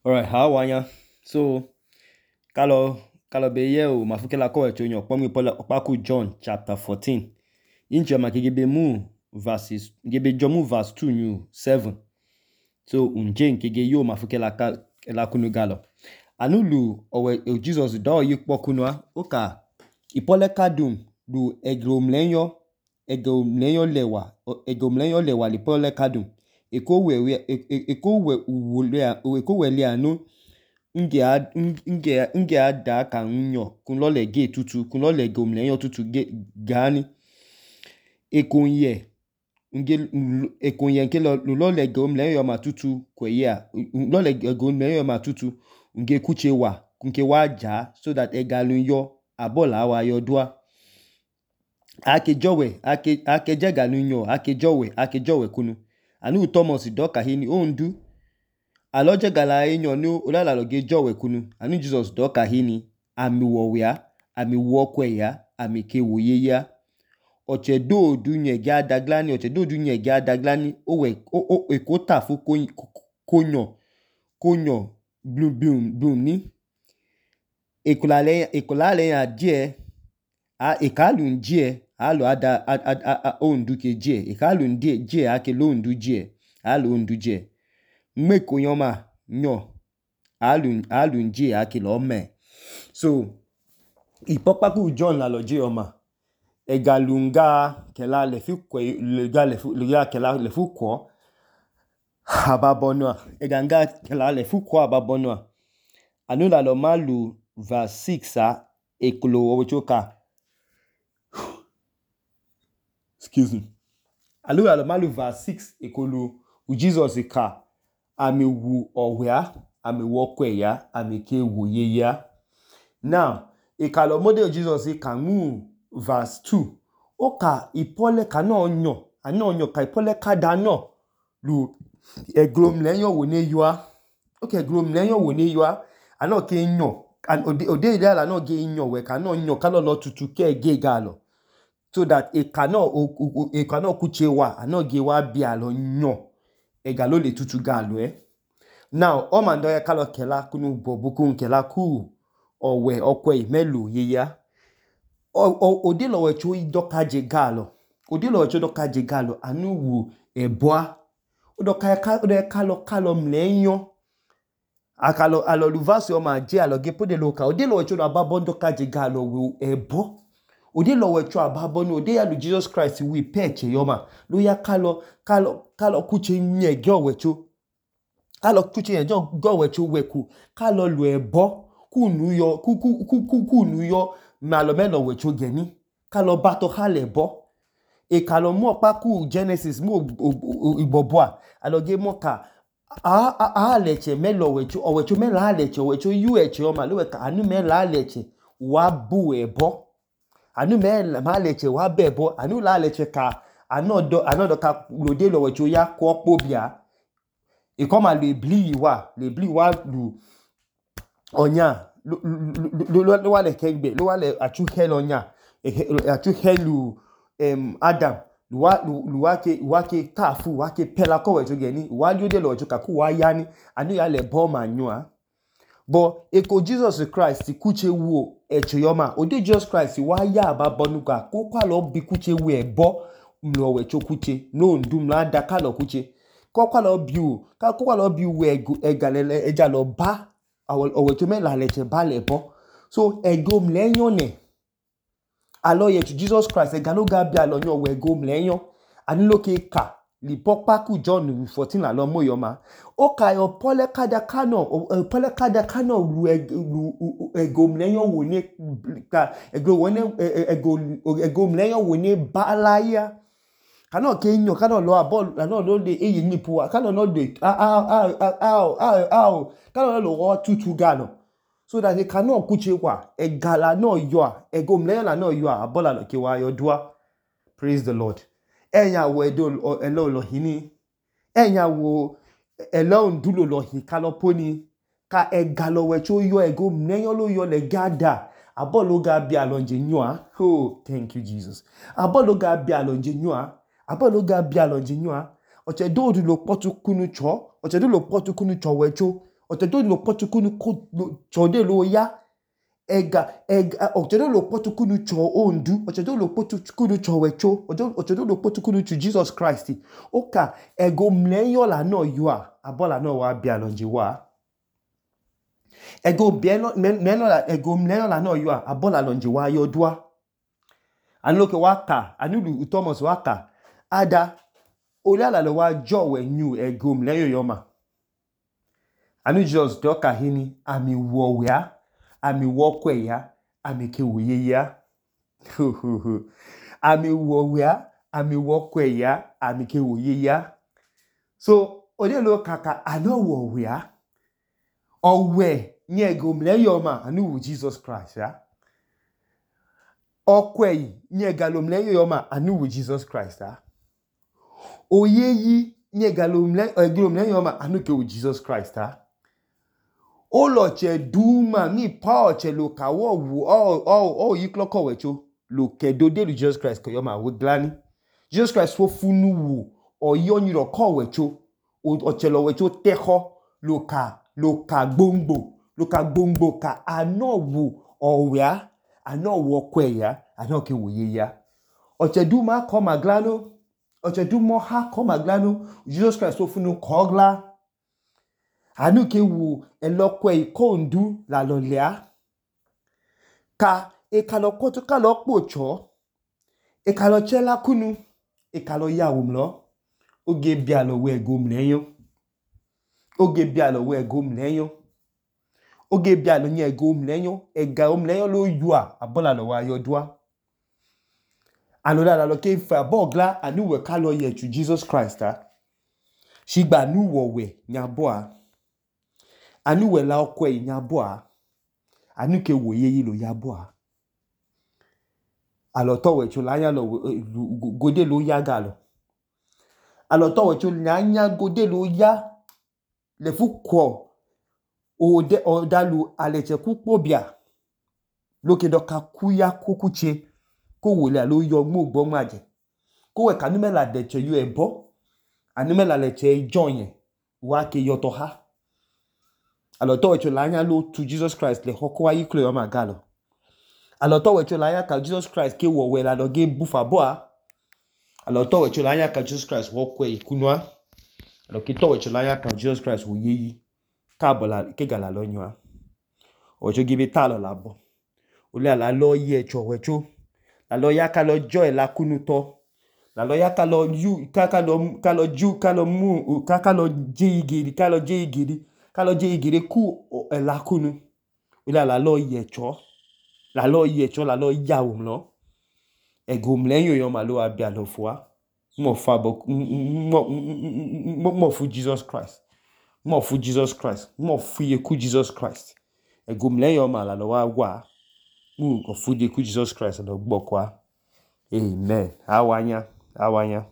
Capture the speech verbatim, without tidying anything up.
Alright, how wanya? So, kalau kalau be ye o mafuke la ko echo nyo pomi pola opaku John chapter fourteen. Inche ma kigebe mu verses gebe jomu verse two new seven. So, unje nkige yo mafuke la ka la kunu galo. Anulu owe Jesus do yikpo kunwa oka ipole kadum du egromlenyo egromlenyo lewa egromlenyo lewa lipole kadum. Eko we eko we uwole eko wele anu nge a nge nge ada ka nyo kun lo le ge tutu kun lo le gomlenyo tutu ge gani ekonye nge ekonye nke lo lo le gomlenyo ma tutu kweye lo le gomlenyo ma tutu nge kuche wa kunke wa ja so that egalun yo abola wa yo dua ake jowe ake ake jegalun yo ake jowe ake jowe kunu anu Thomas doka hini ondu aloje gala enyo ni olala loge jowe kunu anu Jesus doka hini ami wowia ami wokwe ya ami ke woye ya oche do dunye ga daglani oche do dunye ga daglani owe o ekota fu konyo konyo blum blum blum ni ekulale ekulale ya die a ekalun die alo ada ondu ke die ekalun die die ake lo ondu die alo ondu die mmeko yoma nyo alun alun die ake lo me so ipopaku John la loje yoma egalunga kela le fi kwe le ga le fu le ga kela le fu ko ababonwa eganga kela le fu ko ababonwa anu la lo malu verse six a eklo ochoka excuse me anu la lo malu verse six ekolo u Jesus ka ami wu owia ami wokwe ya ami ke woye ya now ikalo model Jesus ka mu verse two oka ipole ka no onyo ana onyo ka ipole ka da no lu eglomlenyo wo ne yua okay eglomlenyo wo ne yua ana ke nyo and ode ode ide ala no ge nyo we ka no nyo ka lo lo tutu ke ge galo so that e cannot e cannot kuche wa ana ge wa bi alo nyo e galo le tutu galo eh now o man do ya kalo kela kunu bobuku nkela ku owe okwe melu yeya o ode lo we chu doka je galo ode lo we chu doka je galo anu wu eboa odoka ka ode kalo kalo mlenyo akalo alo luvasi o ma je alo ge pode lo ka ode lo we chu ababo doka je galo wu ebo ode lo we chu ababo no ode ya lu Jesus Christ wi peche yoma lo ya kalo kalo kalo kuche nye ge we chu kalo kuche nye go we chu weku kalo lu ebo kunu yo ku ku ku kunu yo malo melo we chu geni kalo bato hale bo e kalo mo pa ku Genesis mo iboboa aloge mo ka a a a leche melo we chu o we chu melo leche we chu yu eche o ma lo we ka anu melo leche wa bu ebo anu melo ma leche wa bebo anu la leche ka anodo anodo ka lode lo we chu ya ko pobia e koma le bli wa le bli wa lu onya lo lo lo wale kegbe lo wale atu helo onya atu helu em Adam luwa luwa ke wa ke tafu wa ke pela ko we to geni wa li ode lo to ka ku wa ya ni anu ya le bo manua bo eko Jesus Christ kuche wo eche yoma ode Jesus Christ wa ya ababonuga ko kwa lo bi kuche wo ebo mlo we cho kuche no ndum la da ka lo kuche ko kwa lo bi o ka ko kwa lo bi we egalele eja lo ba owe to me la leche ba le bo so egom lenyo ne alo ye to Jesus Christ egalo ga bi alo nyo we egom lenyo ani lo ke ka li popaku John fourteen la lo moyoma o ka yo pole kada kano pole kada kano lu egom lenyo wo ne ka ego wo ne egom lenyo wo ne balaya kano ke nyo kano lo abol kano lo de eyi nipu kano no de a a a a a kano lo wo tutu galo so that they cannot kuche wa egala no yo egomlenyo la no yo abola lo ke wa yo dua praise the Lord enya wo edo elo lo hini enya wo elo ndulo lo hi kaloponi ka egalo we cho yo egomlenyo lo yo le gada abolo ga bi alonje nyoa oh thank you Jesus abolo ga bi alonje nyoa abolo ga bi alonje nyoa oche do du lo potu kunu cho oche do lo potu kunu cho we cho ọchẹdẹ lo kpọtu kunu chọde lo ya ẹga ẹga ọchẹdẹ lo kpọtu kunu chọ ondu ọchẹdẹ lo kpọtu kunu chọ wẹcho ọchẹdẹ lo kpọtu kunu chu Jesus Christ oka ẹga omlẹyọ lanọ yọa abọ lanọ wa bia lọnje wa ẹga omlẹyọ lanọ yọa abọ lalọnje wa yọdua anuloke wa ka anulu Thomas wa ka ada ole alalọ wa jọwẹ nyu ẹga omlẹyọ yọma anu Jesus dọka hini ami wọwẹa ami wọkwẹya ami ke woyeya ami wọwẹa ami wọkwẹya ami ke woyeya so ode lo kaka anọ wọwẹa ọwẹ ni ẹga omlẹyọ ma anu wu Jesus Christ ya ọkwẹyi ni ẹga omlẹyọ yọma anu wu Jesus Christ ya oyeyi ni ẹga omlẹyọ yọma anu ke wu Jesus Christ ya olọchẹ duma ni pa ọchẹ lo kawọ wu ọ yi klọkọ wẹcho lo kẹdo de lu Jesus Christ kọ yọma wo glani Jesus Christ fo funu wu ọyi ọnyirọ kọ wẹcho ọchẹ lọ wẹcho tẹkọ lo ka lo ka gbongbo lo ka gbongbo ka anọ wu ọwẹa anọ wu ọkwẹya anọ ke woyeya ọchẹ duma kọ maglano ọchẹ duma ha kọ maglano Jesus Christ fo funu kọ gla anu ke wu ẹlọkwẹ ikondu lalọlẹa ka ekalọ kpọtu kalọ kpochọ ekalọ chẹla kunu ekalọ yawumlọ oge bialọ wẹ ẹga omlẹyọ oge bialọ wẹ ẹga omlẹyọ oge bialọ ni ẹga omlẹyọ ẹga omlẹyọ lo yọa abọ lalọ wa yọdua anọda lalọ ke fẹ abọ gla anu wẹ kalọ yẹchu Jesus Christ a shigba anu wọwẹ nyabọ a anu wẹ la ọkwẹyi nyabọ a anu ke woyeyi lo yabọ a alọtọ wẹcho lanya lọ gode lo ya galọ alọtọ wẹcho lanya gode lo ya lefu kwọ ode ọdalu alẹchẹ ku kpobia loke dọka ku ya kokuche ko wole alo yọ gmo gbọnma ajẹ ko wẹ kanu mẹla dẹchẹ yọ ẹbọ anu mẹla lẹchẹ jọnyẹ wa ke yọtọ ha alọtọ wẹcho lanya lo tu Jesus Christ lẹhọ kọ wa yi klo yọma galọ alọtọ wẹcho lanya ka Jesus Christ ke wọwẹ lalọ ge bufa bọ a alọtọ wẹcho lanya ka Jesus Christ wọkwẹ ikunua alọketọ wẹcho lanya ka Jesus Christ woyeyi káàbọ̀ kega lalọ nyọ a ọjọ gebe ta lọ labọ ole alalọ yẹ ẹchọ wẹcho lalọ ya kalọ jọ ẹ lakunu tọ lalọ ya kalọ yu kalọ kalọ ju kalọ mu kalọ je igiri kalọ je igiri kalọ je igiri ku ẹ lakunu ole alalọ yẹ ẹchọ lalọ yẹ ẹchọ lalọ yawumlọ ẹga omlẹyọ yọma lo wa bia lọ fua mo fa bo mo fu Jesus Christ mo fu Jesus Christ mo fu yeku Jesus Christ ẹga omlẹyọ yọma lalọ wa wa mu ko fu yeku Jesus Christ lọ gbọkwa amen awanya awanya